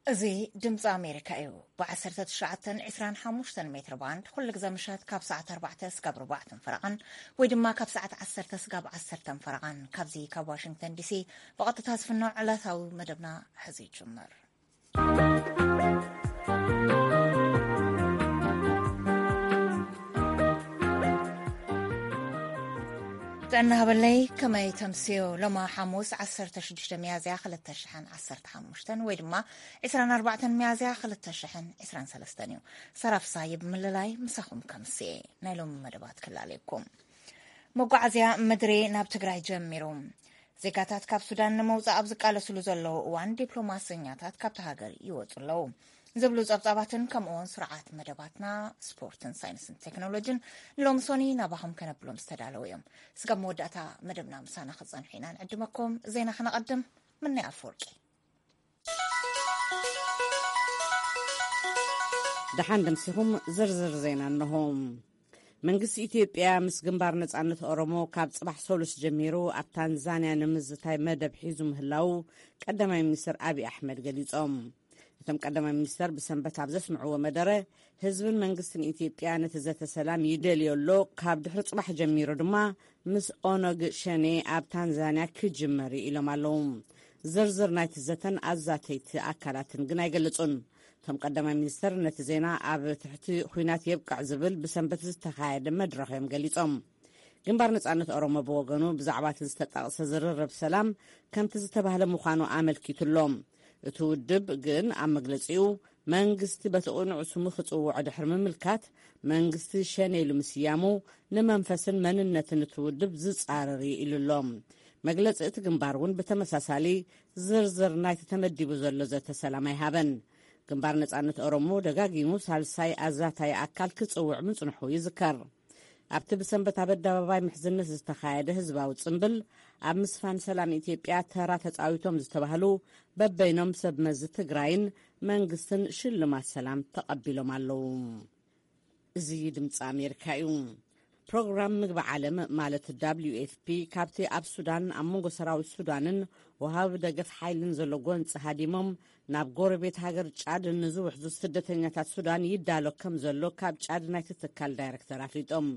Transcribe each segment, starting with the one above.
እዚ ድምፂ ኣሜሪካ እዩ። ብ19፣ 25 ሜትር ባንድ ኩሉ ግዜ ምሸት ካብ ሰዓት ኣርባዕተ ስጋብ ርባዕተን ፈረቓን፣ ወይ ድማ ካብ ሰዓት ዓሰርተ ስጋብ ዓሰርተን ፈረቓን፣ ካብዚ ካብ ዋሽንግተን ዲሲ ብቐጥታ ዝፍኖ ዕለታዊ መደብና ሕዚ ይጅምር። ጥዕና ሃበለይ፣ ከመይ ተምስዮ? ሎማ ሓሙስ ዓሰርተ ሽዱሽተ ሚያዝያ ክልተ ሽሕን ዓሰርተ ሓሙሽተን፣ ወይ ድማ ዕስራን ኣርባዕተን ሚያዝያ ክልተ ሽሕን ዕስራን ሰለስተን እዩ። ሰራፍሳይ ብምልላይ ምሳኹም ከምስየ ናይ ሎሚ መደባት ክላለየኩም። መጓዓዝያ ምድሪ ናብ ትግራይ ጀሚሩ። ዜጋታት ካብ ሱዳን ንምውጻእ ኣብ ዝቃለስሉ ዘለዉ እዋን፣ ዲፕሎማሰኛታት ካብቲ ሃገር ይወጹ ኣለዉ ዝብሉ ጸብጻባትን ከምኡውን ስርዓት መደባትና ስፖርትን ሳይንስን ቴክኖሎጂን ንሎሚ ሶኒ ናባኹም ከነብሎም ዝተዳለዉ እዮም። ስጋብ መወዳእታ መደብና ምሳና ክጸንሑ ኢና ንዕድመኩም። ዜና ክነቐድም። ምናይ ኣፈወርቂ። ደሓን ደምሲኹም። ዝርዝር ዜና እንሆ። መንግስቲ ኢትዮጵያ ምስ ግንባር ነጻነት ኦሮሞ ካብ ጽባሕ ሰሉስ ጀሚሩ ኣብ ታንዛንያ ንምዝታይ መደብ ሒዙ ምህላው ቀዳማይ ሚኒስትር ኣብይ ኣሕመድ ገሊጾም። እቶም ቀዳማይ ሚኒስትር ብሰንበት ኣብ ዘስምዕዎ መደረ፣ ህዝብን መንግስትን ኢትዮጵያ ነቲ ዘተ ሰላም ይደልዮ ኣሎ፣ ካብ ድሕሪ ጽባሕ ጀሚሩ ድማ ምስ ኦነግ ሸኔ ኣብ ታንዛንያ ክጅመር እዩ ኢሎም ኣለዉ። ዝርዝር ናይቲ ዘተን ኣዛተይቲ ኣካላትን ግን ኣይገለጹን። እቶም ቀዳማይ ሚኒስትር ነቲ ዜና ኣብ ትሕቲ ኹናት የብቅዕ ዝብል ብሰንበት ዝተኻየደ መድረኽ እዮም ገሊጾም። ግንባር ነጻነት ኦሮሞ ብወገኑ ብዛዕባ እቲ ዝተጠቕሰ ዝርርብ ሰላም ከምቲ ዝተባህለ ምዃኑ ኣመልኪቱ ኣሎ። እቲ ውድብ ግን ኣብ መግለጺኡ መንግስቲ በቲ ቅኑዕ ስሙ ክጽውዖ ድሕሪ ምምልካት፣ መንግስቲ ሸኔ ኢሉ ምስያሙ ንመንፈስን መንነትን እቲ ውድብ ዝጻረር እዩ ኢሉ ኣሎ። መግለጺ እቲ ግንባር እውን ብተመሳሳሊ ዝርዝር ናይቲ ተመዲቡ ዘሎ ዘተ ሰላም ኣይሃበን። ግንባር ነጻነት ኦሮሞ ደጋጊሙ ሳልሳይ ኣዛታይ ኣካል ክጽውዕ ምጽንሑ ይዝከር። ኣብቲ ብሰንበት ኣብ ኣደባባይ ምሕዝነት ዝተኻየደ ህዝባዊ ጽምብል፣ ኣብ ምስፋን ሰላም ኢትዮጵያ ተራ ተጻዊቶም ዝተባህሉ በበይኖም ሰብ መዚ ትግራይን መንግስትን ሽልማት ሰላም ተቐቢሎም ኣለዉ። እዚ ድምፂ ኣሜሪካ እዩ። ፕሮግራም ምግቢ ዓለም ማለት ደብሊዩ ኤፍ ፒ ካብቲ ኣብ ሱዳን ኣብ መንጎ ሰራዊት ሱዳንን ወሃቢ ደገፍ ሓይልን ዘሎ ጎንፂ ሃዲሞም ናብ ጎረቤት ሃገር ጫድ ንዝውሕዙ ስደተኛታት ሱዳን ይዳሎ ከም ዘሎ ካብ ጫድ ናይቲ ትካል ዳይረክተር ኣፍሊጦም።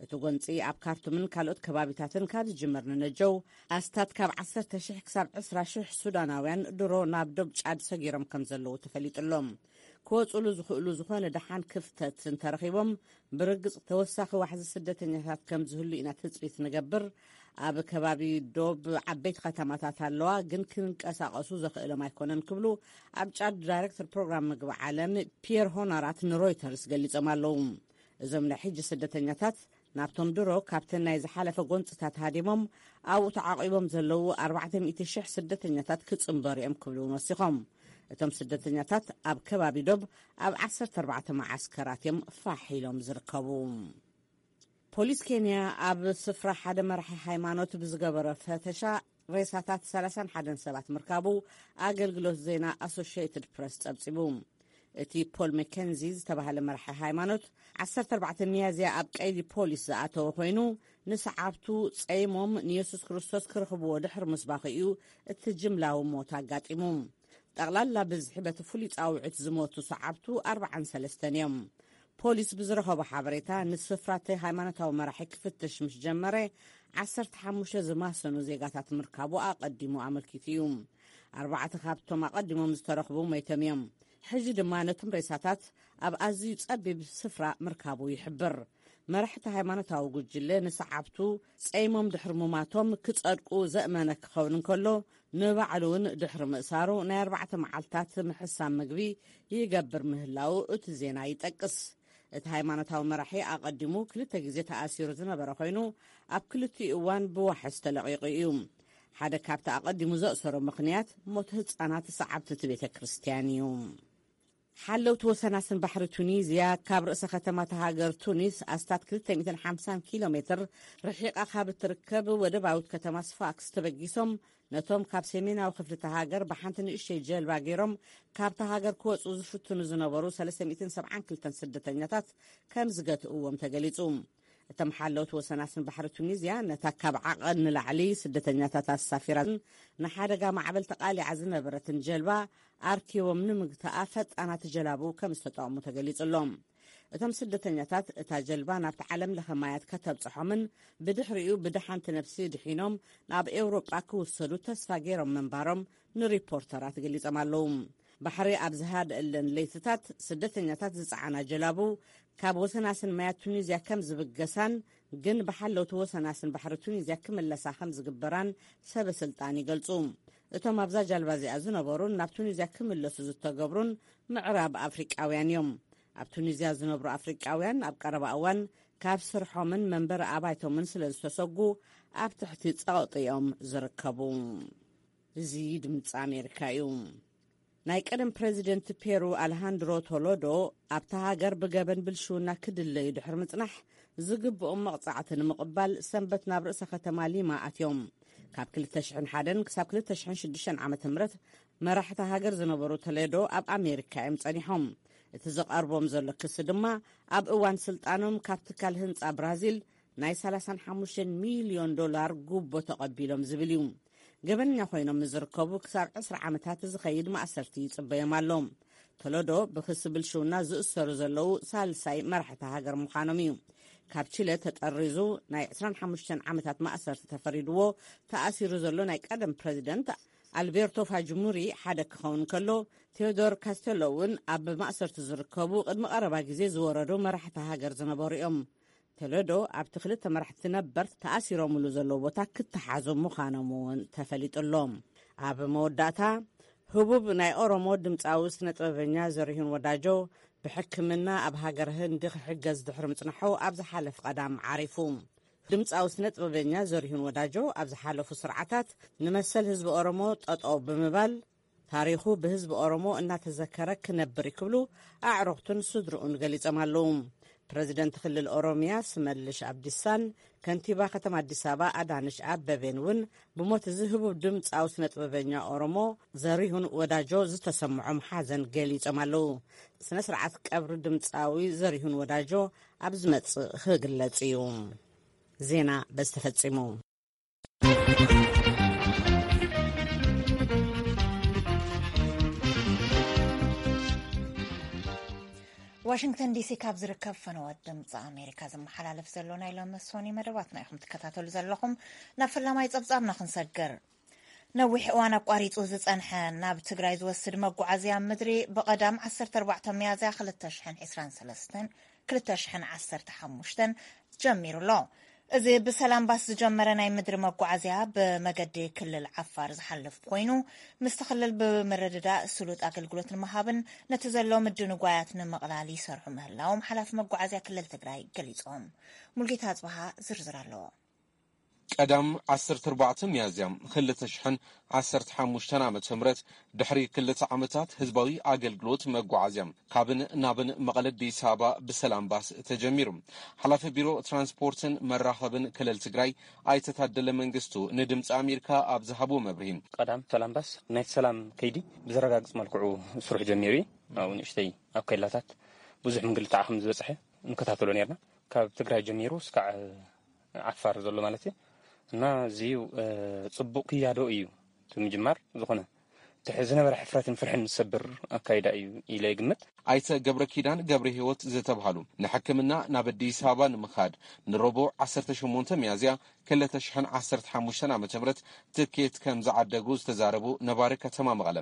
እቲ ጎንፂ ኣብ ካርቱምን ካልኦት ከባቢታትን ካብ ዝጅመር ንነጀው ኣስታት ካብ ዓሰርተ ሽሕ ክሳብ ዕስራ ሽሕ ሱዳናውያን ድሮ ናብ ዶብ ጫድ ሰጊሮም ከም ዘለዉ ተፈሊጡ ኣሎ። ክወፅሉ ዝኽእሉ ዝኾነ ደሓን ክፍተት እንተረኺቦም፣ ብርግፅ ተወሳኺ ዋሕዚ ስደተኛታት ከም ዝህሉ ኢና ትፅቢት ንገብር። ኣብ ከባቢ ዶብ ዓበይቲ ከተማታት ኣለዋ፣ ግን ክንቀሳቐሱ ዘኽእሎም ኣይኮነን ክብሉ ኣብ ጫድ ዳይሬክተር ፕሮግራም ምግቢ ዓለም ፒየር ሆናራት ንሮይተርስ ገሊጾም ኣለዉ። እዞም ናይ ሕጂ ስደተኛታት ናብቶም ድሮ ካብተን ናይ ዝሓለፈ ጎንፅታት ሃዲሞም ኣብኡ ተዓቂቦም ዘለዉ ኣርባዕተ ሚእቲ ሽሕ ስደተኛታት ክጽንበሩ እዮም ክብሉ እውን ወሲኾም። እቶም ስደተኛታት ኣብ ከባቢ ዶብ ኣብ ዓሰርተ ኣርባዕተ መዓስከራት እዮም ፋሕ ኢሎም ዝርከቡ። ፖሊስ ኬንያ ኣብ ስፍራ ሓደ መራሒ ሃይማኖት ብዝገበሮ ፈተሻ ሬሳታት ሰላሳን ሓደን ሰባት ምርካቡ ኣገልግሎት ዜና ኣሶሽየትድ ፕረስ ጸብጺቡ። እቲ ፖል መኬንዚ ዝተባህለ መራሒ ሃይማኖት ዓሰርተ ኣርባዕተ ሚያዝያ ኣብ ቀይዲ ፖሊስ ዝኣተወ ኮይኑ፣ ንሰዓብቱ ጸይሞም ንየሱስ ክርስቶስ ክረኽብዎ ድሕሪ ምስባኹ እዩ እቲ ጅምላዊ ሞት ኣጋጢሙ። ጠቕላላ ብዝሒ በቲ ፍሉይ ጻውዒት ዝሞቱ ሰዓብቱ ኣርባዓን ሰለስተን እዮም። ፖሊስ ብዝረኸቦ ሓበሬታ፣ ንስፍራ እቲ ሃይማኖታዊ መራሒ ክፍትሽ ምስ ጀመረ፣ ዓሰርተ ሓሙሽተ ዝማሰኑ ዜጋታት ምርካቡ ኣቐዲሙ ኣመልኪቱ እዩ። ኣርባዕተ ካብቶም ኣቐዲሞም ዝተረኽቡ ሞይቶም እዮም። ሕጂ ድማ ነቶም ሬሳታት ኣብ ኣዝዩ ጸቢብ ስፍራ ምርካቡ ይሕብር። መራሕቲ ሃይማኖታዊ ጉጅለ ንሰዓብቱ ጸይሞም ድሕሪ ሙማቶም ክጸድቁ ዘእመነ ክኸውን እንከሎ፣ ንባዕሉ እውን ድሕሪ ምእሳሩ ናይ ኣርባዕተ መዓልታት ምሕሳም ምግቢ ይገብር ምህላው እቲ ዜና ይጠቅስ። እቲ ሃይማኖታዊ መራሒ ኣቐዲሙ ክልተ ግዜ ተኣሲሩ ዝነበረ ኮይኑ፣ ኣብ ክልቲኡ እዋን ብዋሕስ ተለቒቑ እዩ። ሓደ ካብቲ ኣቐዲሙ ዘእሰሮ ምኽንያት ሞት ህጻናት ሰዓብቲ እቲ ቤተ ክርስቲያን እዩ። ሓለውቲ ወሰናስን ባሕሪ ቱኒዝያ ካብ ርእሰ ከተማ እታ ሃገር ቱኒስ ኣስታት ክልተ ሚእትን ሓምሳን ኪሎ ሜትር ርሒቓ ካብ እትርከብ ወደባዊት ከተማ ስፋክስ ተበጊሶም ነቶም ካብ ሰሜናዊ ክፍሊ እታ ሃገር ብሓንቲ ንእሽተይ ጀልባ ገይሮም ካብታ ሃገር ክወጹ ዝፍትኑ ዝነበሩ ሰለስተ ሚእትን ሰብዓን ክልተን ስደተኛታት ከም ዝገትእዎም ተገሊጹ። እቶም ሓለውቲ ወሰናስን ባሕሪ ቱኒዝያ፣ ነታ ካብ ዓቐን ንላዕሊ ስደተኛታት ኣሳፊራን ንሓደጋ ማዕበል ተቓሊዓ ዝነበረትን ጀልባ ኣርኪቦም ንምግታኣ ፈጣናት ጀላቡ ከም ዝተጠቕሙ ተገሊጹ ኣሎ። እቶም ስደተኛታት፣ እታ ጀልባ ናብቲ ዓለም ለኸ ማያት ከተብጽሖምን ብድሕሪኡ ብደሓንቲ ነብሲ ድሒኖም ናብ ኤውሮጳ ክውሰዱ ተስፋ ገይሮም ምንባሮም ንሪፖርተራት ገሊጾም ኣለዉ። ባሕሪ ኣብ ዝሃደእለን ለይትታት፣ ስደተኛታት ዝጸዓና ጀላቡ ካብ ወሰናስን ማያት ቱኒዝያ ከም ዝብገሳን፣ ግን ብሓለውቲ ወሰናስን ባሕሪ ቱኒዝያ ክምለሳ ከም ዝግበራን ሰበ ስልጣን ይገልጹ። እቶም ኣብዛ ጃልባ እዚኣ ዝነበሩን ናብ ቱኒዝያ ክምለሱ ዝተገብሩን ምዕራብ ኣፍሪቃውያን እዮም። ኣብ ቱኒዝያ ዝነብሩ ኣፍሪቃውያን ኣብ ቀረባ እዋን ካብ ስርሖምን መንበሪ ኣባይቶምን ስለ ዝተሰጉ ኣብ ትሕቲ ጸቕጢ እዮም ዝርከቡ። እዚ ድምፂ ኣሜሪካ እዩ። ናይ ቀደም ፕሬዚደንት ፔሩ ኣልሃንድሮ ቶሎዶ ኣብታ ሃገር ብገበን ብልሽውና ክድለዩ ድሕሪ ምጽናሕ ዝግብኦም መቕጻዕቲ ንምቕባል ሰንበት ናብ ርእሰ ከተማ ሊማ ኣትዮም። ካብ ክልተ ሽሕን ሓደን ክሳብ ክልተ ሽሕን ሽዱሽተን ዓመተ ምህረት መራሕቲ ሃገር ዝነበሩ ቶሌዶ ኣብ ኣሜሪካ እዮም ጸኒሖም። እቲ ዝቐርቦም ዘሎ ክሲ ድማ ኣብ እዋን ስልጣኖም ካብ ትካል ህንጻ ብራዚል ናይ ሰላሳን ሓሙሽተን ሚልዮን ዶላር ጉቦ ተቐቢሎም ዝብል እዩ። ገበነኛ ኮይኖም ንዝርከቡ ክሳብ ዕስራ ዓመታት ዝኸይድ ማእሰርቲ ይጽበዮም ኣሎ። ቶሎዶ ብክሲ ብልሽውና ዝእሰሩ ዘለዉ ሳልሳይ መራሕቲ ሃገር ምዃኖም እዩ። ካብ ቺለ ተጠሪዙ ናይ ዕስራን ሓሙሽተን ዓመታት ማእሰርቲ ተፈሪድዎ ተኣሲሩ ዘሎ ናይ ቀደም ፕረዚደንት ኣልቤርቶ ፋጅሙሪ ሓደ ክኸውን ከሎ፣ ቴዎዶር ካስቴሎ እውን ኣብ ማእሰርቲ ዝርከቡ ቅድሚ ቀረባ ግዜ ዝወረዱ መራሕቲ ሃገር ዝነበሩ እዮም። ቶሌዶ ኣብቲ ክልተ መራሕቲ ነበር ተኣሲሮምሉ ዘለዉ ቦታ ክተሓዙ ምዃኖም እውን ተፈሊጡ ኣሎ። ኣብ መወዳእታ፣ ህቡብ ናይ ኦሮሞ ድምፃዊ ስነ ጥበበኛ ዘሪሁን ወዳጆ ብሕክምና ኣብ ሃገር ህንዲ ክሕገዝ ድሕሪ ምጽናሑ ኣብ ዝሓለፍ ቀዳም ዓሪፉ። ድምፃዊ ስነ ጥበበኛ ዘሪሁን ወዳጆ ኣብ ዝሓለፉ ስርዓታት ንመሰል ህዝቢ ኦሮሞ ጠጠው ብምባል ታሪኹ ብህዝቢ ኦሮሞ እናተዘከረ ክነብር እዩ ክብሉ ኣዕሩኽቱን ስድርኡን ገሊጾም ኣለዉ። ፕረዚደንት ክልል ኦሮሚያ ስመልሽ ኣብዲሳን ከንቲባ ከተማ ኣዲስ ኣበባ ኣዳነች ኣበቤን እውን ብሞት እዚ ህቡብ ድምፃዊ ስነ ጥበበኛ ኦሮሞ ዘሪሁን ወዳጆ ዝተሰምዖም ሓዘን ገሊጾም ኣለዉ። ስነ ስርዓት ቀብሪ ድምፃዊ ዘሪሁን ወዳጆ ኣብ ዝመጽእ ክግለጽ እዩ። ዜና በዚ ተፈጺሙ። ዋሽንግተን ዲሲ ካብ ዝርከብ ፈነወት ድምፂ ኣሜሪካ ዝመሓላለፍ ዘሎ ናይ ሎሚ ሶኒ መደባትና ኢኹም ትከታተሉ ዘለኹም። ናብ ፈላማይ ጸብጻብና ክንሰግር። ነዊሕ እዋን ኣቋሪጹ ዝጸንሐ ናብ ትግራይ ዝወስድ መጓዓዝያ ምድሪ ብቐዳም ዓሰርተ ኣርባዕተ ሚያዝያ ክልተ ሽሕን ዕስራን ሰለስተን ክልተ ሽሕን ዓሰርተ ሓሙሽተን ጀሚሩ ኣሎ። እዚ ብሰላም ባስ ዝጀመረ ናይ ምድሪ መጓዓዝያ ብመገዲ ክልል ዓፋር ዝሓልፍ ኮይኑ፣ ምስቲ ክልል ብምርድዳእ ስሉጥ ኣገልግሎት ንምሃብን ነቲ ዘሎ ምድንጓያት ንምቕላል ይሰርሑ ምህላዎም ሓላፊ መጓዓዝያ ክልል ትግራይ ገሊጾም። ሙልጌታ ኣጽብሃ ዝርዝር ኣለዎ። ቀዳም ዓሰርተ ኣርባዕተ ሚያዝያ ክልተ ሽሕን ዓሰርተ ሓሙሽተን ዓመተ ምህረት፣ ድሕሪ ክልተ ዓመታት ህዝባዊ ኣገልግሎት መጓዓዝያ ካብን ናብን መቐለ ኣዲስ ኣበባ ብሰላም ባስ ተጀሚሩ። ሓላፊ ቢሮ ትራንስፖርትን መራኸብን ክልል ትግራይ ኣይተ ታደለ መንግስቱ ንድምፂ ኣሜሪካ ኣብ ዝሃብዎ መብርሂ፣ ቀዳም ሰላም ባስ ናይቲ ሰላም ከይዲ ብዘረጋግፅ መልክዑ ስርሑ ጀሚሩ እዩ። ኣብኡ ንእሽተይ ኣብ ከይላታት ብዙሕ ምንግልታዕ ከም ዝበፅሐ ንከታተሎ ነርና። ካብ ትግራይ ጀሚሩ እስካዕ ዓፋር ዘሎ ማለት እዩ። እና እዚ ጽቡቕ ክያዶ እዩ። እቲ ምጅማር ዝኾነ እቲ ዝነበረ ሕፍረትን ፍርሕን ዝሰብር ኣካይዳ እዩ ኢለ ይግምት። ኣይተ ገብረ ኪዳን ገብረ ህይወት ዝተብሃሉ ንሕክምና ናብ ኣዲስ ኣበባ ንምኻድ ንረቡዕ ዓሰርተ ሸሞንተ ሚያዝያ ክልተ ሽሕን ዓሰርተ ሓሙሽተን ዓመተ ምህረት ትኬት ከም ዝዓደጉ ዝተዛረቡ ነባሪ ከተማ መቐለ፣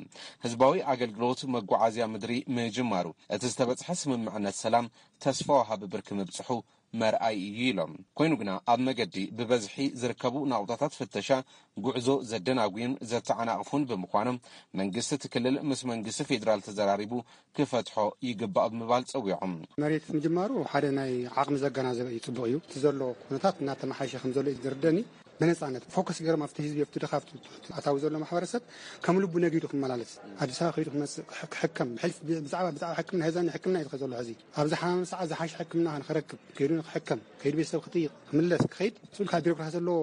ህዝባዊ ኣገልግሎት መጓዓዝያ ምድሪ ምጅማሩ እቲ ዝተበጽሐ ስምምዕነት ሰላም ተስፋ ወሃቢ ብርኪ ምብጽሑ መርኣይ እዩ ኢሎም። ኮይኑ ግና ኣብ መገዲ ብበዝሒ ዝርከቡ ናቑጣታት ፍተሻ ጉዕዞ ዘደናጉዩን ዘተዓናቕፉን ብምዃኖም መንግስቲ እቲ ክልል ምስ መንግስቲ ፌዴራል ተዘራሪቡ ክፈትሖ ይግባእ ብምባል ጸዊዖም። መሬት ምጅማሩ ሓደ ናይ ዓቕሚ ዘገናዘበ እዩ፣ ጽቡቕ እዩ። እቲ ዘሎ ኩነታት እናተመሓየሸ ከም ዘሎ እዩ ዝርደኒ። ብነጻነት ፎከስ ገይሮም ኣብቲ ህዝቢ፣ ኣብቲ ድኻ፣ ኣብቲ ትሑት ኣታዊ ዘሎ ማሕበረሰብ ከም ልቡ ነጊዱ ክመላለስ፣ ኣዲስ ኣበባ ከይዱ ክመጽእ፣ ክሕ-፣ ክሕከም፣ ብሕልፍ-፣ ብዛዕባ፣ ብዛዕባ ሕክምና፣ ህዛኛ ሕክምና እዩ ዝኸ ዘሎ ሕዚ። ኣብ ዝሓመመ ሰዓት ዝሓሸ ሕክምና ንክረክብ፣ ከይዱ ንክሕከም፣ ከይዱ ቤተሰብ ክጥይቕ፣ ክምለስ፣ ክኸይድ፣ ስኡል ካብ ቢሮክራሲ ዘለዎ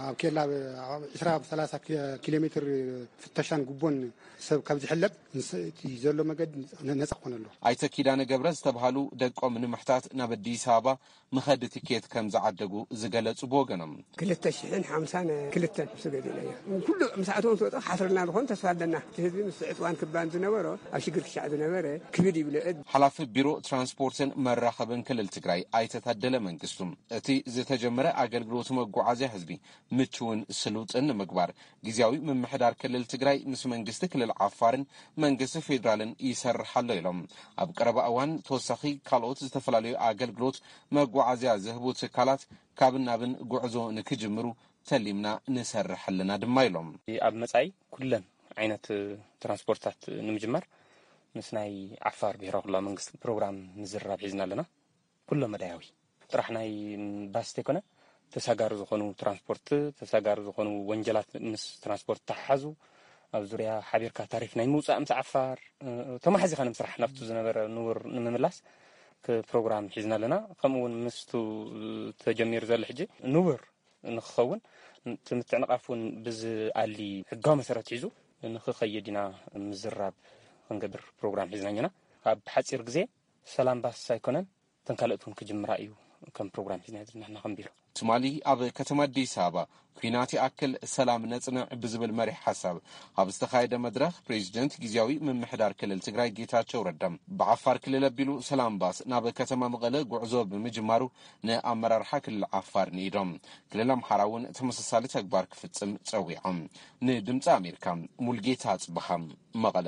ኣብ ኬላ ዕስራ ሰላሳ ኪሎ ሜትር ፍተሻን ጉቦን ሰብ ካብ ዝሕለብ፣ ዘሎ መገዲ ነፃ ክኾነሉ። ኣይተ ኪዳነ ገብረ ዝተብሃሉ ደቆም ንምሕታት ናብ ኣዲስ ኣበባ መኸዲ ትኬት ከም ዝዓደጉ ዝገለጹ ብወገኖም፣ ክልተ ሽሕን ሓምሳን ክልተን ምስ ገዜናዮ፣ ኩሉ ምስ ኣተዎም ትወጥኦ ሓስርና ዝኾን ተስፋ ኣለና። እቲ ህዝቢ ምስ ዕፅዋን ክባን ዝነበሮ፣ ኣብ ሽግር ክሻዕ ዝነበረ ክብድ ይብለ። ሓላፊ ቢሮ ትራንስፖርትን መራኸብን ክልል ትግራይ ኣይተ ታደለ መንግስቱ፣ እቲ ዝተጀመረ ኣገልግሎት መጓዓዝያ ህዝቢ ምቹውን ስሉጥን ንምግባር ግዝያዊ ምምሕዳር ክልል ትግራይ ምስ መንግስቲ ክልል ዓፋርን መንግስቲ ፌዴራልን ይሰርሕ ኣሎ ኢሎም። ኣብ ቀረባ እዋን ተወሳኺ ካልኦት ዝተፈላለዩ ኣገልግሎት መጓዓዝያ ዝህቡ ትካላት ካብን ናብን ጉዕዞ ንክጅምሩ ተሊምና ንሰርሕ ኣለና ድማ ኢሎም። ኣብ መጻኢ ኩለን ዓይነት ትራንስፖርታት ንምጅማር ምስ ናይ ዓፋር ብሔራዊ ክልላዊ መንግስቲ ፕሮግራም ምዝርራብ ሒዝና ኣለና። ኩሎ መዳያዊ ጥራሕ ናይ ባስ ተይኮነ፣ ተሳጋሪ ዝኾኑ ትራንስፖርት፣ ተሳጋሪ ዝኾኑ ወንጀላት ምስ ትራንስፖርት ተሓሓዙ ኣብ ዙርያ ሓቢርካ ታሪፍ ናይ ምውፃእ ምስ ዓፋር ተማሓዚኻ ንምስራሕ ናብቱ ዝነበረ ንቡር ንምምላስ ፕሮግራም ሒዝና ኣለና። ከምኡ እውን ምስቱ ተጀሚሩ ዘሎ ሕጂ ንቡር ንክኸውን፣ እቲ ምትዕንቓፍ እውን ብዝኣሊ ሕጋዊ መሰረት ሒዙ ንክኸይድ ኢና ምዝራብ ክንገብር ፕሮግራም ሒዝና እኛና። ኣብ ሓፂር ግዜ ሰላም ባስ ኣይኮነን፣ እተን ካልኦት እውን ክጅምራ እዩ ከም ፕሮግራም ሒዝና ንሕና ከም ቢሮ። ትማሊ ኣብ ከተማ ኣዲስ ኣበባ ኲናት ይኣክል ሰላም ነጽንዕ ብዝብል መሪሕ ሓሳብ ኣብ ዝተኻየደ መድረኽ፣ ፕሬዚደንት ግዝያዊ ምምሕዳር ክልል ትግራይ ጌታቸው ረዳ፣ ብዓፋር ክልል ኣቢሉ ሰላም ባስ ናብ ከተማ መቐለ ጉዕዞ ብምጅማሩ ንኣመራርሓ ክልል ዓፋር ንኢዶም። ክልል ኣምሓራ እውን ተመሳሳሊ ተግባር ክፍጽም ጸዊዖም። ንድምፂ ኣሜሪካ፣ ሙልጌታ ኣጽብሃ፣ መቐለ።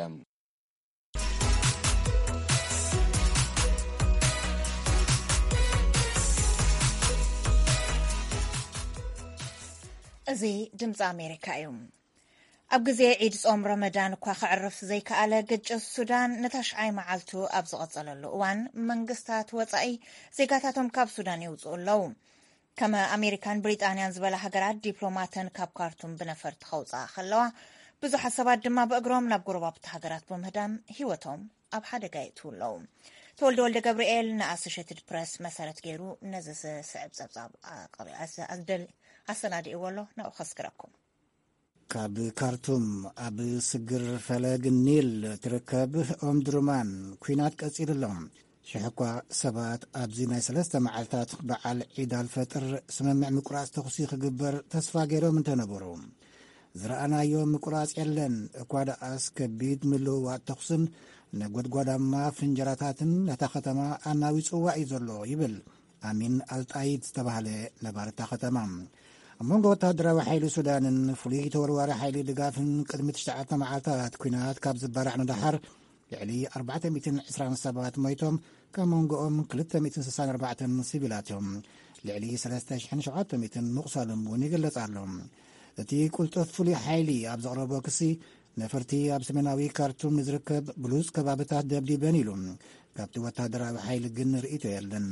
እዚ ድምፂ ኣሜሪካ እዩ። ኣብ ግዜ ዒድ ጾም ረመዳን እኳ ከዕርፍ ዘይከኣለ ግጭት ሱዳን ንታሽዓይ መዓልቱ ኣብ ዝቐጸለሉ እዋን፣ መንግስታት ወጻኢ ዜጋታቶም ካብ ሱዳን የውጽኡ ኣለዉ። ከም ኣሜሪካን ብሪጣንያን ዝበላ ሃገራት ዲፕሎማተን ካብ ካርቱም ብነፈርቲ ከውጽኣ ከለዋ፣ ብዙሓት ሰባት ድማ ብእግሮም ናብ ጎረባብቲ ሃገራት ብምህዳም ህይወቶም ኣብ ሓደጋ የእትዉ ኣለዉ። ተወልደ ወልደ ገብርኤል ንኣሶሼትድ ፕረስ መሰረት ገይሩ ነዚ ዝስዕብ ጸብጻብ ኣቐሪ-፣ ኣስ-፣ ኣስደል-፣ ኣሰናዲእዎ ኣሎ፣ ናብኡ ከስግረኩም። ካብ ካርቱም ኣብ ስግር ፈለግ ኒል ትርከብ ኦምድሩማን ኲናት ቀጺሉ ኣሎ። ሽሕ እኳ ሰባት ኣብዚ ናይ ሰለስተ መዓልታት በዓል ዒድ ኣልፈጥር ስምምዕ ምቁራጽ ተኹሲ ክግበር ተስፋ ገይሮም እንተነበሩ፣ ዝረኣናዮ ምቁራጽ የለን። እኳ ደኣስ ከቢድ ምልውዋጥ ተኹስን ነጎድጓዳማ ፍንጀራታትን ነታ ከተማ ኣናዊጽዋ እዩ ዘሎ ይብል ኣሚን ኣልጣይድ ዝተባህለ ነባሪ እታ ከተማ። ኣብ መንጎ ወተሃደራዊ ሓይሊ ሱዳንን ፍሉይ ተወርዋሪ ሓይሊ ድጋፍን ቅድሚ ትሽዓተ መዓልታት ኲናት ካብ ዝበራዕ ንደሓር፣ ልዕሊ ኣርባዕተ ሚእትን ዕስራን ሰባት ሞይቶም፣ ካብ መንጎኦም ክልተ ሚእትን ስሳን ኣርባዕተን ሲቪላት እዮም። ልዕሊ ሰለስተ ሽሕን ሸውዓተ ሚእትን ምቑሳሎም እውን ይግለጽ ኣሎ። እቲ ቅልጡፍ ፍሉይ ሓይሊ ኣብ ዘቕረቦ ክሲ፣ ነፈርቲ ኣብ ሰሜናዊ ካርቱም ንዝርከብ ብሉጽ ከባብታት ደብዲበን ኢሉ። ካብቲ ወተሃደራዊ ሓይሊ ግን ርእይቶ የለን።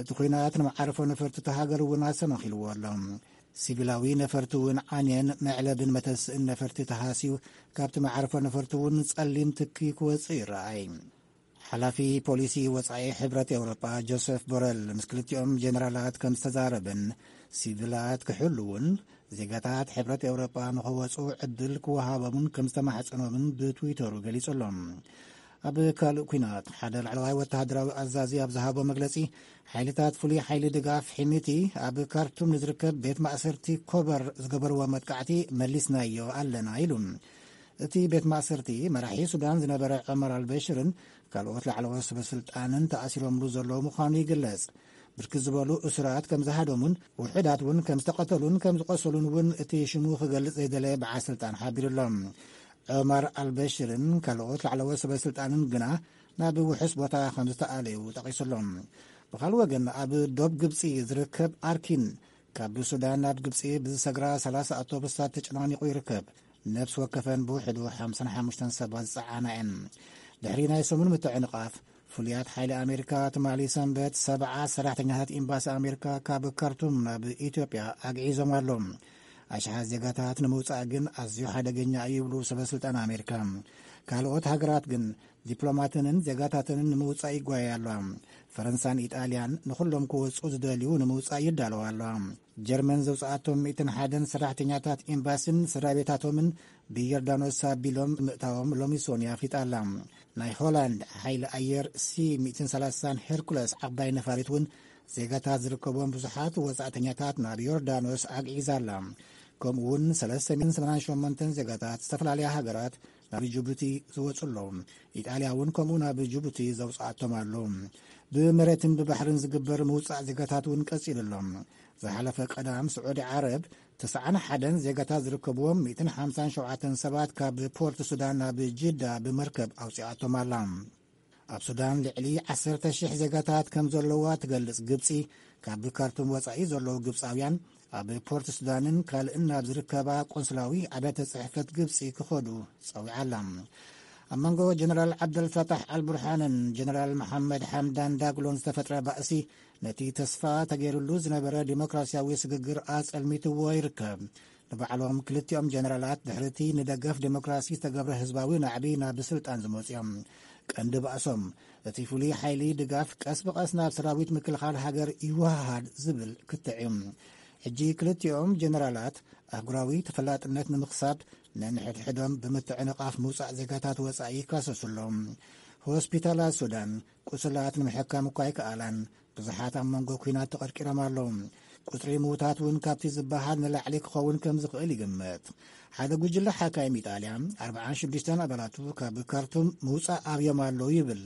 እቲ ኲናት ንመዓርፎ ነፈርቲ እታ ሃገር እውን ኣሰናኺልዎ ኣሎ። ሲቪላዊ ነፈርቲ እውን ዓንየን መዕለብን መተስእን ነፈርቲ ተሃስዩ፣ ካብቲ መዓርፎ ነፈርቲ እውን ጸሊም ትኪ ክወጽእ ይረኣይ። ሓላፊ ፖሊሲ ወጻኢ ሕብረት ኤውሮጳ ጆሴፍ ቦረል ምስ ክልቲኦም ጀነራላት ከም ዝተዛረበን፣ ሲቪላት ክሕልውን ዜጋታት ሕብረት ኤውሮጳ ንኸወጹ ዕድል ክወሃቦምን ከም ዝተማሕጸኖምን ብትዊተሩ ገሊጹ ኣሎ። ኣብ ካልእ ኲናት፣ ሓደ ላዕለዋይ ወተሃደራዊ ኣዛዚ ኣብ ዝሃቦ መግለጺ፣ ሓይልታት ፍሉይ ሓይሊ ድጋፍ ሒሚቲ ኣብ ካርቱም ንዝርከብ ቤት ማእሰርቲ ኮበር ዝገበርዎ መጥቃዕቲ መሊስናዮ ኣለና ኢሉ። እቲ ቤት ማእሰርቲ፣ መራሒ ሱዳን ዝነበረ ዑመር ኣልበሽርን ካልኦት ላዕለዎት ሰበ ስልጣንን ተኣሲሮምሉ ዘለዉ ምዃኑ ይግለጽ። ብርክት ዝበሉ እሱራት ከም ዝሃደሙን ውሑዳት እውን ከም ዝተቐተሉን ከም ዝቖሰሉን እውን እቲ ሽሙ ክገልጽ ዘይደለየ በዓል ስልጣን ሓቢሩ ኣሎ። ዑመር ኣልበሽርን ካልኦት ላዕለዎት ሰበ ስልጣንን ግና ናብ ውሑስ ቦታ ከም ዝተኣለዩ ጠቒሱ ኣሎ። ብኻልእ ወገን፣ ኣብ ዶብ ግብጺ ዝርከብ ኣርኪን፣ ካብ ሱዳን ናብ ግብጺ ብዝሰግራ ሰላሳ ኣውቶቡሳት ተጨናኒቑ ይርከብ። ነፍሲ ወከፈን ብውሕዱ ሓምሳን ሓሙሽተን ሰባት ዝጸዓና እየን። ድሕሪ ናይ ሰሙን ምትዕንቓፍ፣ ፍሉያት ሓይሊ ኣሜሪካ ትማሊ ሰንበት ሰብዓ ሰራሕተኛታት ኤምባሲ ኣሜሪካ ካብ ካርቱም ናብ ኢትዮጵያ ኣግዒዞም ኣለዉ። ኣሽሓት ዜጋታት ንምውጻእ ግን ኣዝዩ ሓደገኛ እዩ ይብሉ ሰበ ስልጣን ኣሜሪካ። ካልኦት ሃገራት ግን ዲፕሎማተንን ዜጋታተንን ንምውጻእ ይጓየያ ኣለዋ። ፈረንሳን ኢጣልያን ንኹሎም ክወጽኡ ዝደልዩ ንምውጻእ ይዳለዋ ኣለዋ። ጀርመን ዘውጽኣቶም ሚእትን ሓደን ሰራሕተኛታት ኤምባሲን ስድራ ቤታቶምን ብዮርዳኖስ ኣቢሎም ምእታዎም ሎሚ ሶኒ ኣፍሊጣ ኣላ። ናይ ሆላንድ ሓይሊ ኣየር ሲ ሚእትን ሰላሳን ሄርኩለስ ዓባይ ነፋሪት እውን ዜጋታት ዝርከቦም ብዙሓት ወጻእተኛታት ናብ ዮርዳኖስ ኣግዒዛ ኣላ። ከምኡ እውን ሰለስተ ሚእትን ሰማንያን ሸሞንተን ዜጋታት ዝተፈላለያ ሃገራት ናብ ጅቡቲ ዝወጹ ኣለዉ። ኢጣልያ እውን ከምኡ ናብ ጅቡቲ ዘውጽኣቶም ኣሎ። ብመሬትን ብባሕርን ዝግበር ምውጻእ ዜጋታት እውን ቀጺሉ ኣሎ። ዝሓለፈ ቀዳም ስዑዲ ዓረብ ተስዓን ሓደን ዜጋታት ዝርከብዎም ሚእትን ሓምሳን ሸውዓተን ሰባት ካብ ፖርት ሱዳን ናብ ጅዳ ብመርከብ ኣውጺኣቶም ኣላ። ኣብ ሱዳን ልዕሊ ዓሰርተ ሽሕ ዜጋታት ከም ዘለዋ ትገልጽ ግብጺ፣ ካብ ካርቱም ወጻኢ ዘለዉ ግብጻውያን ኣብ ፖርት ሱዳንን ካልእን ናብ ዝርከባ ቆንስላዊ ኣብያተ ጽሕፈት ግብጺ ክኸዱ ጸዊዓ ኣላ። ኣብ መንጎ ጀነራል ዓብደልፈታሕ ኣልቡርሃንን ጀነራል መሓመድ ሓምዳን ዳግሎን ዝተፈጥረ ባእሲ፣ ነቲ ተስፋ ተገይሩሉ ዝነበረ ዲሞክራሲያዊ ስግግር ኣጸልሚትዎ ይርከብ። ንባዕሎም ክልቲኦም ጀነራላት ድሕሪቲ ንደገፍ ዲሞክራሲ ዝተገብረ ህዝባዊ ናዕቢ ናብ ስልጣን ዝመጹ እዮም። ቀንዲ ባእሶም፣ እቲ ፍሉይ ሓይሊ ድጋፍ ቀስ ብቐስ ናብ ሰራዊት ምክልኻል ሃገር ይወሃሃድ ዝብል ክትዕ እዩ። ሕጂ ክልቲኦም ጀነራላት ኣህጉራዊ ተፈላጥነት ንምኽሳብ ነንሕድሕዶም ብምትዕንቓፍ ምውጻእ ዜጋታት ወጻኢ ይካሰሱ ኣለዉ። ሆስፒታላት ሱዳን ቁስላት ንምሕካም እኳ ኣይከኣላን። ብዙሓት ኣብ መንጎ ኲናት ተቐርቂሮም ኣለዉ። ቁጽሪ ምዉታት እውን ካብቲ ዝበሃል ንላዕሊ ክኸውን ከም ዝኽእል ይግመት። ሓደ ጉጅለ ሓካይም ኢጣልያ ኣርብዓን ሽዱሽተን ኣባላቱ ካብ ካርቱም ምውጻእ ኣብዮም ኣለዉ ይብል።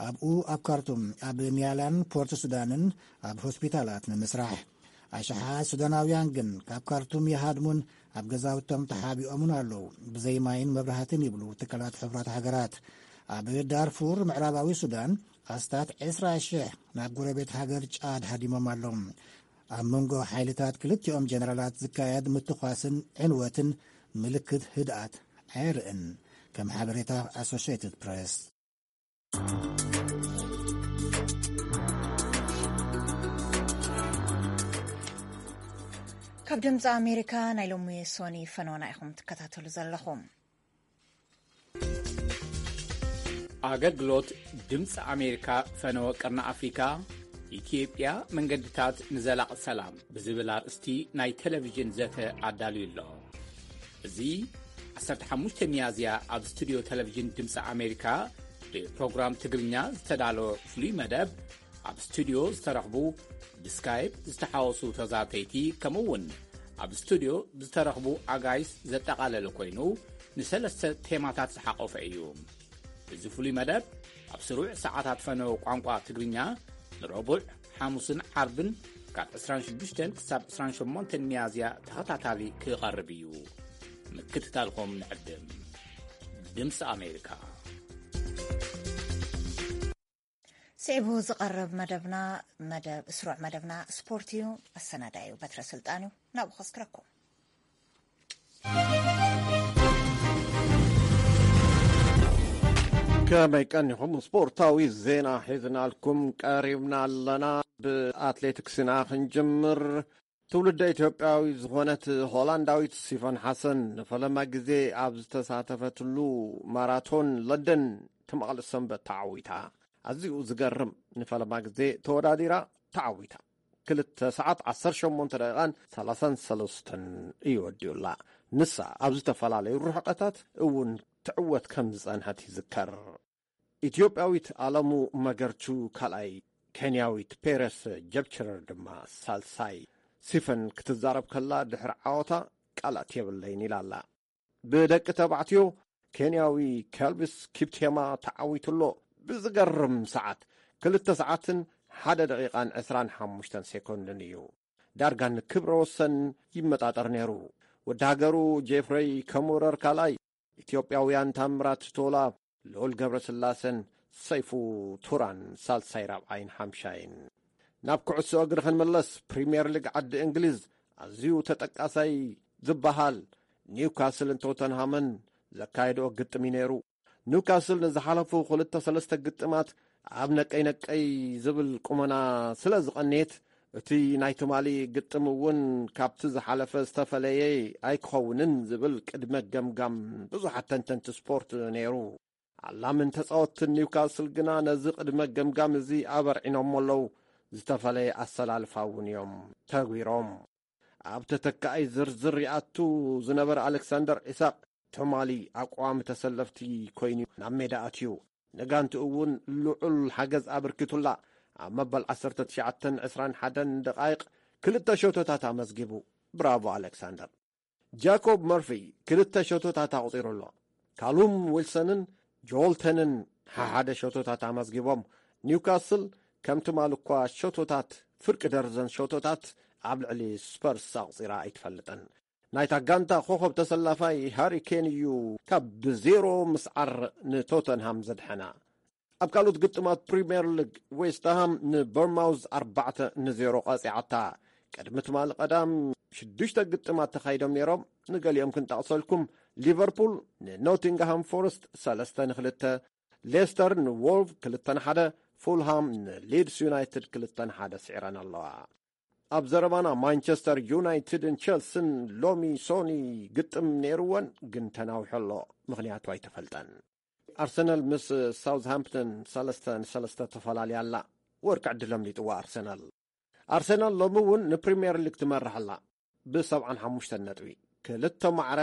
ኣብኡ ኣብ ካርቱም፣ ኣብ ኒያላን ፖርት ሱዳንን ኣብ ሆስፒታላት ንምስራሕ። ኣሽሓት ሱዳናውያን ግን ካብ ካርቱም ይሃድሙን ኣብ ገዛውቶም ተሓቢኦምን ኣለዉ። ብዘይ ማይን መብራህትን ይብሉ ትካላት ሕቡራት ሃገራት። ኣብ ዳርፉር ምዕራባዊ ሱዳን ኣስታት ዕስራ ሽሕ ናብ ጎረቤት ሃገር ጫድ ሃዲሞም ኣለዉ። ኣብ መንጎ ሓይልታት ክልቲኦም ጀነራላት ዝካየድ ምትኳስን ዕንወትን ምልክት ህድኣት ኣየርእን፣ ከም ሓበሬታ ኣሶሽየትድ ፕሬስ። ካብ ድምፂ ኣሜሪካ ናይ ሎሚ ሶኒ ፈነወና ኢኹም ትከታተሉ ዘለኹም። ኣገልግሎት ድምፂ ኣሜሪካ ፈነወ ቀርኒ ኣፍሪካ፣ ኢትዮጵያ መንገድታት ንዘላቕ ሰላም ብዝብል ኣርእስቲ ናይ ቴሌቪዥን ዘተ ኣዳልዩ ኣሎ። እዚ ዓሰርተ ሓሙሽተ ሚያዝያ ኣብ ስቱድዮ ቴሌቪዥን ድምፂ ኣሜሪካ ብፕሮግራም ትግርኛ ዝተዳለወ ፍሉይ መደብ፣ ኣብ ስቱድዮ ዝተረኽቡ ብስካይፕ ዝተሓወሱ ተዛተይቲ፣ ከምኡ እውን ኣብ ስቱድዮ ዝተረኽቡ ኣጋይሽ ዘጠቓለለ ኮይኑ፣ ንሰለስተ ቴማታት ዝሓቖፈ እዩ። እዚ ፍሉይ መደብ ኣብ ስሩዕ ሰዓታት ፈነወ ቋንቋ ትግርኛ ንረቡዕ፣ ሓሙስን ዓርብን ካብ ዕስራን ሽዱሽተን ክሳብ ዕስራን ሸሞንተን ሚያዝያ ተኸታታሊ ክቐርብ እዩ። ምክትታልኩም ንዕድም። ድምፂ ኣሜሪካ። ስዒቡ ዝቐርብ መደብና፣ መደብ፣ ስሩዕ መደብና ስፖርት እዩ። ኣሰናዳዩ በትረ ስልጣን እዩ። ናብኡ ከስክረኩም። ከመይ ቀኒኹም? ስፖርታዊ ዜና ሒዝናልኩም ቀሪብና ኣለና። ብኣትሌቲክስና ክንጅምር። ትውልደ ኢትዮጵያዊ ዝኾነት ሆላንዳዊት ሲፈን ሓሰን ንፈለማ ግዜ ኣብ ዝተሳተፈትሉ ማራቶን ለንደን ትማሊ ሰንበት ተዓዊታ። ኣዝዩ ዝገርም፣ ንፈለማ ግዜ ተወዳዲራ ተዓዊታ። ክልተ ሰዓት ዓሰርተ ሸሞንተ ደቂቓን ሰላሳን ሰለስተን እዩ ወዲኡላ። ንሳ ኣብ ዝተፈላለዩ ርሕቐታት እውን ትዕወት ከም ዝጸንሐት ይዝከር። ኢትዮጵያዊት ኣለሙ መገርቹ ካልኣይ፣ ኬንያዊት ፔረስ ጀብቸረር ድማ ሳልሳይ። ሲፈን ክትዛረብ ከላ፣ ድሕሪ ዓወታ ቃላት የብለይን ኢላ ኣላ። ብደቂ ተባዕትዮ፣ ኬንያዊ ከልቪስ ኪፕቴማ ተዓዊቱ ኣሎ። ብዝገርም ሰዓት፣ ክልተ ሰዓትን ሓደ ደቂቓን ዕስራን ሓሙሽተን ሴኮንድን እዩ። ዳርጋ ንክብረ ወሰን ይመጣጠር ነይሩ። ወዲ ሃገሩ ጄፍረይ ከሙረር ካልኣይ፣ ኢትዮጵያውያን ታምራት ቶላ፣ ልዑል ገብረስላሰን ሰይፉ ቱራን ሳልሳይ፣ ራብዓይን ሓምሻይን። ናብ ኩዕሶ እግሪ ክንምለስ፣ ፕሪምየር ሊግ ዓዲ እንግሊዝ ኣዝዩ ተጠቃሳይ ዝበሃል ኒውካስልን ቶተንሃምን ዘካየድኦ ግጥም እዩ ነይሩ። ኒውካስል ንዝሓለፉ ክልተ ሰለስተ ግጥማት ኣብ ነቀይ ነቀይ ዝብል ቁመና ስለ ዝቐንየት፣ እቲ ናይ ትማሊ ግጥም እውን ካብቲ ዝሓለፈ ዝተፈለየ ኣይክኸውንን ዝብል ቅድመ ገምጋም ብዙሓት ተንተንቲ ስፖርት ነይሩ። ኣላምን ተጻወትትን ኒውካስል ግና ነዚ ቅድመ ገምጋም እዚ ኣበርዒኖሞ ኣለዉ። ዝተፈለየ ኣሰላልፋ እውን እዮም ተግቢሮም። ኣብ ተተካኣይ ዝርዝር ይኣቱ ዝነበረ ኣሌክሳንደር ኢሳቕ ትማሊ ኣቋሚ ተሰለፍቲ ኮይኑ ናብ ሜዳ ኣትዩ። ንጋንትኡ እውን ልዑል ሓገዝ ኣበርኪቱላ። ኣብ መበል ዓሰርተ ትሽዓተን ዕስራን ሓደን ደቓይቕ ክልተ ሸቶታት ኣመዝጊቡ። ብራቮ ኣሌክሳንደር። ጃኮብ መርፊ ክልተ ሸቶታት ኣቑጺሩ ኣሎ። ካሉም ዊልሰንን ጆልተንን ሓሓደ ሸቶታት ኣመዝጊቦም። ኒውካስል ከም ትማል እኳ ሸቶታት፣ ፍርቂ ደርዘን ሸቶታት ኣብ ልዕሊ ስፐርስ ኣቑጺራ ኣይትፈልጥን። ናይታ ጋንታ ኮኸብ ተሰላፋይ ሃሪ ኬን እዩ ካብ ብዜሮ ምስዓር ንቶተንሃም ዘድሐና። ኣብ ካልኦት ግጥማት ፕሪምየር ሊግ፣ ዌስትሃም ንበርማውዝ ኣርባዕተ ንዜሮ ቀጺዓታ። ቅድሚ ትማሊ ቀዳም ሽዱሽተ ግጥማት ተኻይዶም ነይሮም። ንገሊኦም ክንጠቕሰልኩም፣ ሊቨርፑል ንኖቲንግሃም ፎረስት ሰለስተ ንክልተ፣ ሌስተር ንዎልቭ ክልተ ንሓደ፣ ፉልሃም ንሊድስ ዩናይትድ ክልተ ንሓደ ስዒረን ኣለዋ። ኣብ ዘረባና፣ ማንቸስተር ዩናይትድን ቸልስን ሎሚ ሶኒ ግጥም ነይርወን፣ ግን ተናዊሑ ኣሎ። ምኽንያቱ ኣይተፈልጠን። ኣርሰናል ምስ ሳውዝሃምፕተን ሰለስተ ንሰለስተ ተፈላልያ ኣላ። ወርቂ ዕድል ኣምሊጥዋ ኣርሰናል። ኣርሰናል ሎሚ እውን ንፕሪምየር ሊግ ትመርሕ ኣላ ብሰብዓን ሓሙሽተን ነጥቢ። ክልተ ማዕረ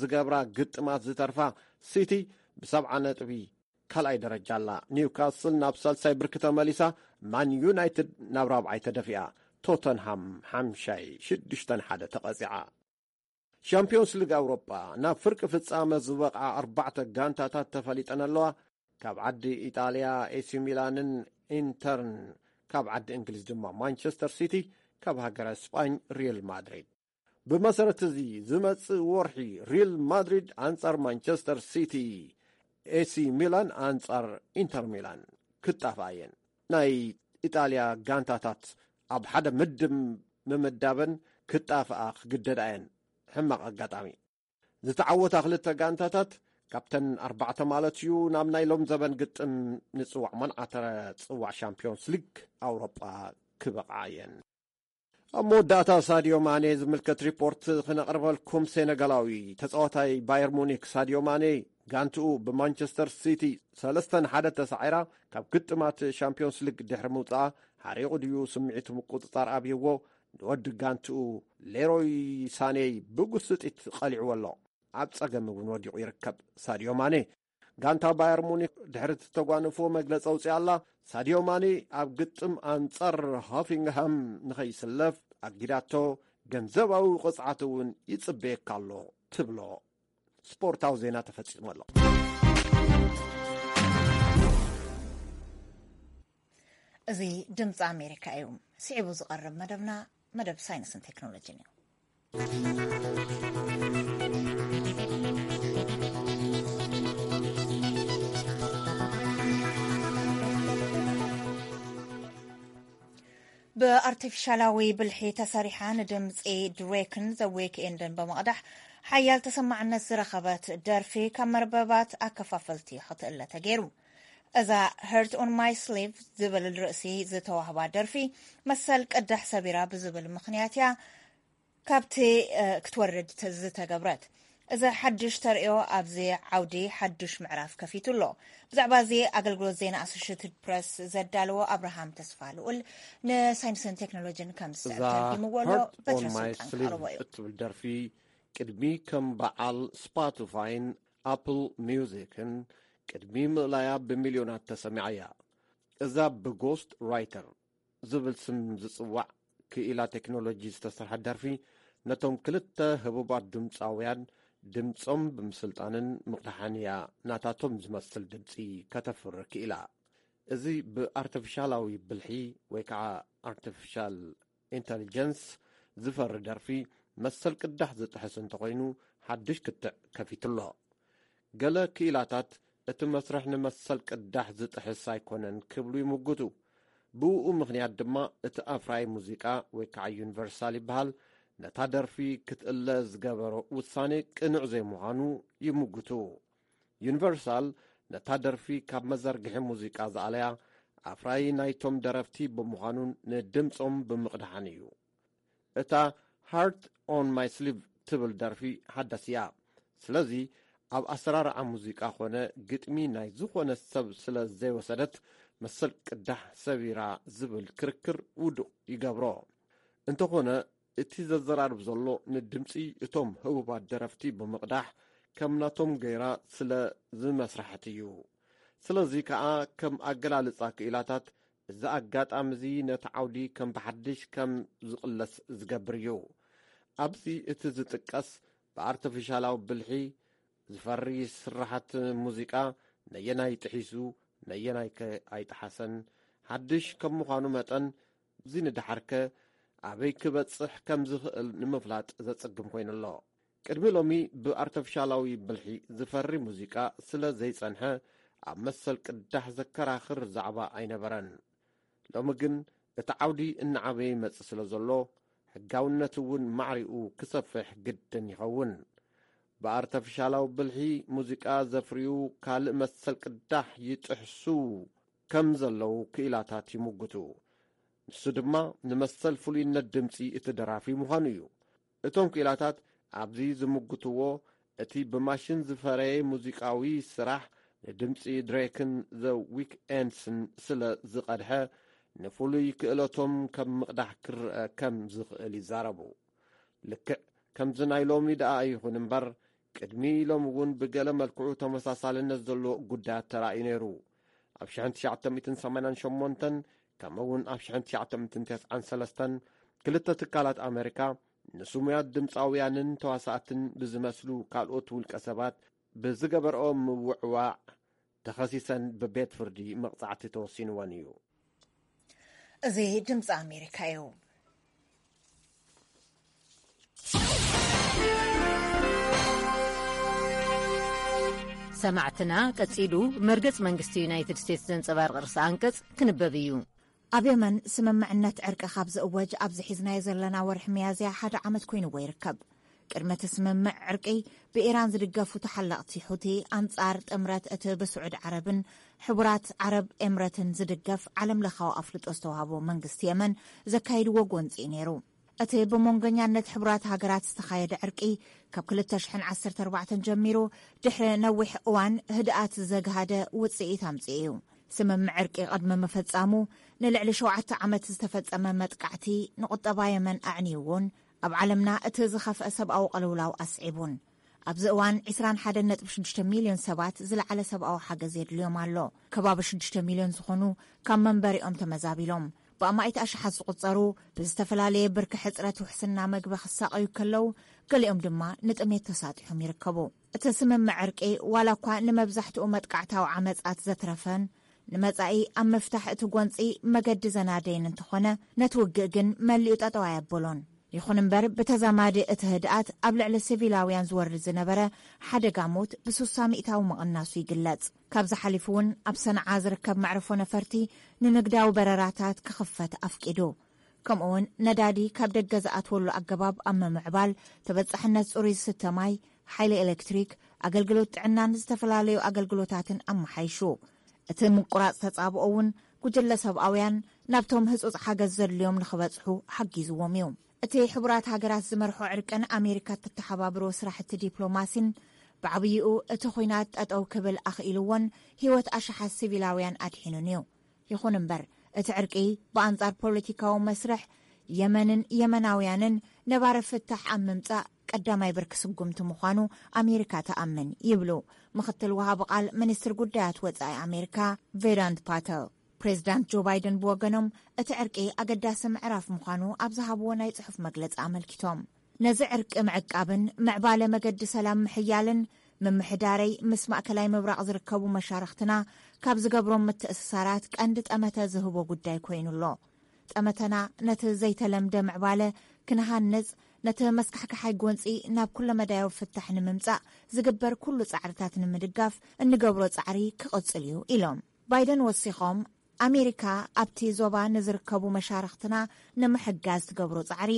ዝገብራ ግጥማት ዝተርፋ ሲቲ ብሰብዓ ነጥቢ ካልኣይ ደረጃ ኣላ። ኒውካስል ናብ ሳልሳይ ብርኪ ተመሊሳ፣ ማን ዩናይትድ ናብ ራብዓይ ተደፊኣ። ቶተንሃም ሓምሻይ ሽዱሽተ ንሓደ ተቐጺዓ። ሻምፒዮንስ ሊግ ኣውሮጳ፣ ናብ ፍርቂ ፍጻመ ዝበቕዓ ኣርባዕተ ጋንታታት ተፈሊጠን ኣለዋ። ካብ ዓዲ ኢጣልያ ኤሲ ሚላንን ኢንተርን፣ ካብ ዓዲ እንግሊዝ ድማ ማንቸስተር ሲቲ፣ ካብ ሃገረ ስጳኝ ሪል ማድሪድ። ብመሰረት እዚ፣ ዝመጽእ ወርሒ ሪል ማድሪድ ኣንጻር ማንቸስተር ሲቲ፣ ኤሲ ሚላን ኣንጻር ኢንተር ሚላን ክጣፍኣ እየን። ናይ ኢጣልያ ጋንታታት ኣብ ሓደ ምድብ ምምዳበን ክጣፍኣ ክግደዳ እየን። ሕማቕ ኣጋጣሚ። ዝተዓወታ ክልተ ጋንታታት ካብተን ኣርባዕተ ማለት እዩ፣ ናብ ናይ ሎም ዘበን ግጥም ንጽዋዕ መንዓተረ ጽዋዕ ሻምፒዮንስ ሊግ ኣውሮጳ ክበቕዓ እየን። ኣብ መወዳእታ ሳዲዮ ማኔ ዝምልከት ሪፖርት ክነቕርበልኩም። ሴነጋላዊ ተጻዋታይ ባየር ሙኒክ ሳዲዮ ማኔ፣ ጋንትኡ ብማንቸስተር ሲቲ ሰለስተ ንሓደ ተሳዒራ ካብ ግጥማት ሻምፒዮንስ ሊግ ድሕሪ ምውጻኣ፣ ሓሪቑ ድዩ ስምዒቱ ምቁጽጻር ኣብይዎ፣ ንወዲ ጋንትኡ ሌሮይ ሳኔይ ብጉስጢት ቀሊዕዎ ኣሎ። ኣብ ጸገም እውን ወዲቑ ይርከብ። ሳዲዮ ማኔ፣ ጋንታ ባየር ሙኒክ ድሕሪ እተጓነፍዎ መግለጺ ኣውጺኣ ኣላ። ሳዲዮ ማኔ ኣብ ግጥም ኣንጻር ሆፊንግሃም ንኸይስለፍ ኣጊዳቶ፣ ገንዘባዊ ቅጽዓት እውን ይጽበየካ ኣሎ ትብሎ። ስፖርታዊ ዜና ተፈጺሙ ኣሎ። እዚ ድምፂ ኣሜሪካ እዩ። ስዒቡ ዝቐርብ መደብና መደብ ሳይንስን ቴክኖሎጂን እዩ። ብኣርቲፊሻላዊ ብልሒ ተሰሪሓ ንድምፂ ድሬክን ዘ ዊክኤንድን ብምቕዳሕ ሓያል ተሰማዕነት ዝረኸበት ደርፊ ካብ መርበባት ኣከፋፈልቲ ክትእለ ተገይሩ። እዛ Heart on My Sleeve ዝብል ርእሲ ዝተዋህባ ደርፊ መሰል ቅዳሕ ሰቢራ ብዝብል ምኽንያት እያ ካብቲ ክትወርድ ዝተገብረት። እዚ ሓድሽ ተርእዮ ኣብዚ ዓውዲ ሓድሽ ምዕራፍ ከፊቱ ኣሎ። ብዛዕባ እዚ ኣገልግሎት ዜና ኣሶሽትድ ፕረስ ዘዳለዎ ኣብርሃም ተስፋ ልኡል ንሳይንስን ቴክኖሎጂን ከም ዝስዕብ ተርጊምዎ ኣሎ። በትረ ስልጣን ክቐርቦ እዩ። እትብል ደርፊ ቅድሚ ከም በዓል ስፖቲፋይን ኣፕል ሚውዚክን ቅድሚ ምእላያ ብሚልዮናት ተሰሚዓ እያ። እዛ ብጎስት ራይተር ዝብል ስም ዝጽዋዕ ክኢላ ቴክኖሎጂ ዝተሰርሐት ደርፊ፣ ነቶም ክልተ ህቡባት ድምጻውያን ድምጾም ብምስልጣንን ምቕዳሕን እያ ናታቶም ዝመስል ድምጺ ከተፍሪ ክኢላ። እዚ ብኣርቲፊሻላዊ ብልሒ ወይ ከዓ ኣርቲፊሻል ኢንተሊጀንስ ዝፈሪ ደርፊ መሰል ቅዳሕ ዝጥሕስ እንተኾይኑ ሓድሽ ክትዕ ከፊቱ ኣሎ። ገለ ክኢላታት እቲ መስርሕ ንመሰል ቅዳሕ ዝጥሕስ ኣይኮነን ክብሉ ይምጉቱ። ብእኡ ምኽንያት ድማ እቲ ኣፍራዪ ሙዚቃ ወይ ከዓ ዩኒቨርሳል ይበሃል ነታ ደርፊ ክትእለ ዝገበሮ ውሳኔ ቅኑዕ ዘይምዃኑ ይምጉቱ። ዩኒቨርሳል ነታ ደርፊ ካብ መዘርግሒ ሙዚቃ ዝኣለያ ኣፍራዪ ናይቶም ደረፍቲ ብምዃኑን ንድምጾም ብምቕዳሓን እዩ። እታ Heart on My Sleeve ትብል ደርፊ ሓዳስ እያ። ስለዚ ኣብ ኣሰራርዓ ሙዚቃ ኾነ ግጥሚ ናይ ዝኾነ ሰብ ስለ ዘይወሰደት፣ መሰል ቅዳሕ ሰቢራ ዝብል ክርክር ውዱቕ ይገብሮ። እንተኾነ፣ እቲ ዘዘራርብ ዘሎ ንድምጺ እቶም ህቡባት ደረፍቲ ብምቕዳሕ ከም ናቶም ገይራ ስለ ዝመስርሐት እዩ። ስለዚ ከኣ ከም ኣገላልጻ ክኢላታት፣ እዚ ኣጋጣሚ እዚ ነቲ ዓውዲ ከም ብሓድሽ ከም ዝቕለስ ዝገብር እዩ። ኣብዚ እቲ ዝጥቀስ ብኣርተፊሻላዊ ብልሒ ዝፈሪ ስርሓት ሙዚቃ ነየናይ ጥሒሱ ነየናይ ከ ኣይጠሓሰን ሓድሽ ከም ምዃኑ መጠን፣ እዚ ንደሓርከ ኣበይ ክበጽሕ ከም ዝኽእል ንምፍላጥ ዘጸግም ኮይኑ ኣሎ። ቅድሚ ሎሚ ብኣርተፊሻላዊ ብልሒ ዝፈሪ ሙዚቃ ስለ ዘይጸንሐ፣ ኣብ መሰል ቅዳሕ ዘከራኽር ዛዕባ ኣይነበረን። ሎሚ ግን እቲ ዓውዲ እናዓበየ ይመጽእ ስለ ዘሎ፣ ሕጋውነት እውን ማዕሪኡ ክሰፍሕ ግድን ይኸውን። ብኣርተፊሻላዊ ብልሒ ሙዚቃ ዘፍርዩ ካልእ መሰል ቅዳሕ ይጥሕሱ ከም ዘለዉ ክኢላታት ይምጉቱ። ንሱ ድማ ንመሰል ፍሉይነት ድምጺ እቲ ደራፊ ምዃኑ እዩ። እቶም ክኢላታት ኣብዚ ዝምጉትዎ፣ እቲ ብማሽን ዝፈረየ ሙዚቃዊ ስራሕ ንድምጺ ድሬክን ዘ ዊክኤንድስን ስለ ዝቐድሐ፣ ንፍሉይ ክእለቶም ከም ምቕዳሕ ክረአ ከም ዝኽእል ይዛረቡ። ልክዕ ከምዚ ናይ ሎሚ ደኣ ኣይኹን እምበር፣ ቅድሚ ሎሚ እውን ብገለ መልክዑ ተመሳሳልነት ዘለዎ ጉዳያት ተራእዩ ነይሩ። ኣብ ሽሕን ትሽዓተ ሚእትን ሰማንያን ሸሞንተን፣ ከምኡ እውን ኣብ ሽሕን ትሽዓተ ሚእትን ተስዓን ሰለስተን፣ ክልተ ትካላት ኣሜሪካ ንስሙያት ድምፃውያንን ተዋሳእትን ብዝመስሉ ካልኦት ውልቀ ሰባት ብዝገበርኦ ምውዕዋዕ ተኸሲሰን ብቤት ፍርዲ መቕጻዕቲ ተወሲንወን እዩ። እዚ ድምፂ ኣሜሪካ እዩ። ሰማዕትና፣ ቀጺሉ መርገጽ መንግስቲ ዩናይትድ ስቴትስ ዘንጸባርቕ ርእሰ ኣንቀጽ ክንበብ እዩ። ኣብ የመን ስምምዕነት ዕርቂ ካብ ዝእወጅ ኣብዚ ሒዝናዮ ዘለና ወርሒ ሚያዝያ ሓደ ዓመት ኮይንዎ ይርከብ። ቅድሚ እቲ ስምምዕ ዕርቂ፣ ብኢራን ዝድገፉ ተሓለቕቲ ሑቲ ኣንጻር ጥምረት እቲ ብስዑድ ዓረብን ሕቡራት ዓረብ ኤምረትን ዝድገፍ ዓለም ለኻዊ ኣፍልጦ ዝተዋህቦ መንግስቲ የመን ዘካይድዎ ጎንጺ እዩ ነይሩ። እቲ ብመንጎኛነት ሕቡራት ሃገራት ዝተኻየደ ዕርቂ፣ ካብ ክልተ ሽሕን ዓሰርተ ኣርባዕተን ጀሚሩ ድሕሪ ነዊሕ እዋን ህድኣት ዘግሃደ ውጽኢት ኣምጺኡ እዩ። ስምምዕ ዕርቂ ቅድሚ ምፍጻሙ፣ ንልዕሊ ሸውዓተ ዓመት ዝተፈጸመ መጥቃዕቲ ንቁጠባ የመን ኣዕንይዎን፣ ኣብ ዓለምና እቲ ዝኸፍአ ሰብኣዊ ቅልውላው ኣስዒቡን። ኣብዚ እዋን፣ ዕስራን ሓደን ነጥቢ ሽዱሽተ ሚልዮን ሰባት ዝለዓለ ሰብኣዊ ሓገዝ የድልዮም ኣሎ። ከባቢ ሽዱሽተ ሚልዮን ዝኾኑ ካብ መንበሪኦም ተመዛቢሎም። ብኣማኢት ኣሽሓት ዝቑጸሩ ብዝተፈላለየ ብርኪ ሕጽረት ውሕስና መግቢ ክሳቐዩ ከለዉ፣ ገሊኦም ድማ ንጥሜት ተሳጢሖም ይርከቡ። እቲ ስምምዕ ዕርቂ፣ ዋላ እኳ ንመብዛሕትኡ መጥቃዕታዊ ዓመጻት ዘትረፈን ንመጻኢ ኣብ ምፍታሕ እቲ ጎንጺ መገዲ ዘናደየን እንተኾነ፣ ነቲ ውግእ ግን መሊኡ ጠጠው ኣየበሎን። ይኹን እምበር፣ ብተዛማዲ እቲ ህድኣት ኣብ ልዕሊ ሲቪላውያን ዝወርድ ዝነበረ ሓደጋ ሞት ብስሳ ሚእታዊ ምቕናሱ ይግለጽ። ካብዚ ሓሊፉ እውን ኣብ ሰንዓ ዝርከብ መዕርፎ ነፈርቲ ንንግዳዊ በረራታት ክኽፈት ኣፍቂዱ። ከምኡውን ነዳዲ ካብ ደገ ዝኣትወሉ ኣገባብ ኣብ ምምዕባል፣ ተበጻሕነት ጽሩይ ዝስተ ማይ፣ ሓይሊ ኤሌክትሪክ፣ ኣገልግሎት ጥዕናን ዝተፈላለዩ ኣገልግሎታትን ኣመሓይሹ። እቲ ምቁራጽ ተጻብኦ እውን ጉጅለ ሰብኣውያን ናብቶም ህጹጽ ሓገዝ ዘድልዮም ንኽበጽሑ ሓጊዝዎም እዩ። እቲ ሕቡራት ሃገራት ዝመርሖ ዕርቅን ኣሜሪካ እተተሓባብሮ ስራሕቲ ዲፕሎማሲን ብዓብይኡ እቲ ኹናት ጠጠው ክብል ኣኽኢልዎን ህይወት ኣሽሓት ሲቪላውያን ኣድሒኑን እዩ። ይኹን እምበር፣ እቲ ዕርቂ ብኣንጻር ፖለቲካዊ መስርሕ የመንን የመናውያንን ነባሪ ፍታሕ ኣብ ምምጻእ ቀዳማይ ብርኪ ስጉምቲ ምዃኑ ኣሜሪካ ትኣምን ይብሉ ምኽትል ወሃቢ ቃል ሚኒስትር ጉዳያት ወጻኢ ኣሜሪካ ቬዳንት ፓተል። ፕሬዚዳንት ጆ ባይደን ብወገኖም፣ እቲ ዕርቂ ኣገዳሲ ምዕራፍ ምዃኑ ኣብ ዝሃብዎ ናይ ጽሑፍ መግለጺ ኣመልኪቶም፣ ነዚ ዕርቂ ምዕቃብን ምዕባለ መገዲ ሰላም ምሕያልን፣ ምምሕዳረይ ምስ ማእከላይ ምብራቕ ዝርከቡ መሻርኽትና ካብ ዝገብሮም ምትእስሳራት ቀንዲ ጠመተ ዝህቦ ጉዳይ ኮይኑ ኣሎ። ጠመተና ነቲ ዘይተለምደ ምዕባለ ክንሃንጽ፣ ነቲ መስካሕክሓይ ጎንጺ ናብ ኩለመዳያዊ ፍታሕ ንምምጻእ ዝግበር ኩሉ ጻዕርታት ንምድጋፍ እንገብሮ ጻዕሪ ክቕጽል እዩ ኢሎም። ባይደን ወሲኾም፣ ኣሜሪካ ኣብቲ ዞባ ንዝርከቡ መሻርኽትና ንምሕጋዝ ትገብሮ ጻዕሪ፣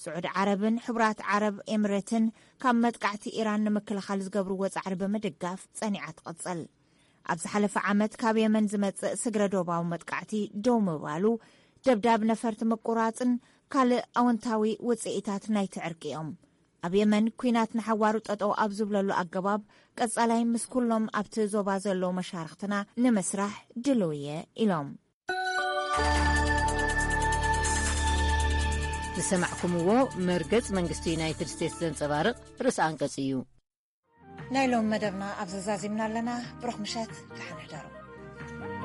ስዑዲ ዓረብን ሕቡራት ዓረብ ኤምሬትን ካብ መጥቃዕቲ ኢራን ንምክልኻል ዝገብርዎ ጻዕሪ ብምድጋፍ ጸኒዓ ትቕጽል። ኣብ ዝሓለፈ ዓመት ካብ የመን ዝመጽእ ስግረ ዶባዊ መጥቃዕቲ ደው ምባሉ፣ ደብዳብ ነፈርቲ ምቁራጽን ካልእ ኣወንታዊ ውጽኢታት ናይቲ ዕርቂ እዮም። ኣብ የመን ኲናት ንሓዋሩ ጠጠው ኣብ ዝብለሉ ኣገባብ፣ ቀጻላይ ምስ ኩሎም ኣብቲ ዞባ ዘለዉ መሻርኽትና ንምስራሕ ድልው እየ ኢሎም። ዝሰማዕኩምዎ መርገጽ መንግስቲ ዩናይትድ ስቴትስ ዘንጸባርቕ ርእሰ ኣንቀጽ እዩ። ናይ ሎም መደብና ኣብ ዘዛዚምና ኣለና። ብሩኽ ምሸት፣ ደሓን ሕደሩ።